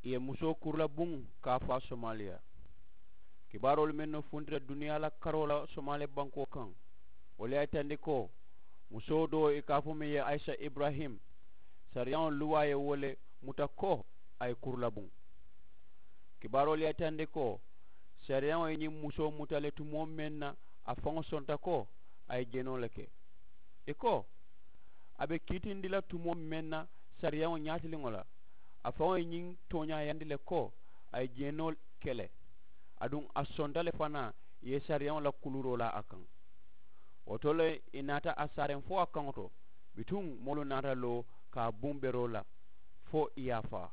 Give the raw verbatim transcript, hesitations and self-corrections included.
ì ye musoo kuru la buŋ ka a faa somaaliya. Kibaaroolu mennu funtita duniyaa la karoo la somaaliya bankoo kaŋ, wolu ye a yitandi ko musoo doo ì ka a fo meŋ ye ayisa iburahim, sariyaŋo luwaa ye wo le muta ko a ye kuru la buŋ. Kibaaroolu ye a yitandi ko sariyaŋo ye ñiŋ musoo muta le tumoo meŋ na a faŋo sonta ko a ye jeenoo le ke. Ì ko a be kiitindi la tumoo meŋ na sariyaŋo ñaatiliŋo la, a faŋo ye ñiŋ tooñaayandi le ko a ye jeenoo ke le, aduŋ a sonta le fanaa ì ye sariyaŋo la kuluuroo laa a kaŋ. Wo to le ì naata a saareŋ fo a kaŋo to, bituŋ moolu naata loo ka a buŋ beroo la fo ì ye a faa.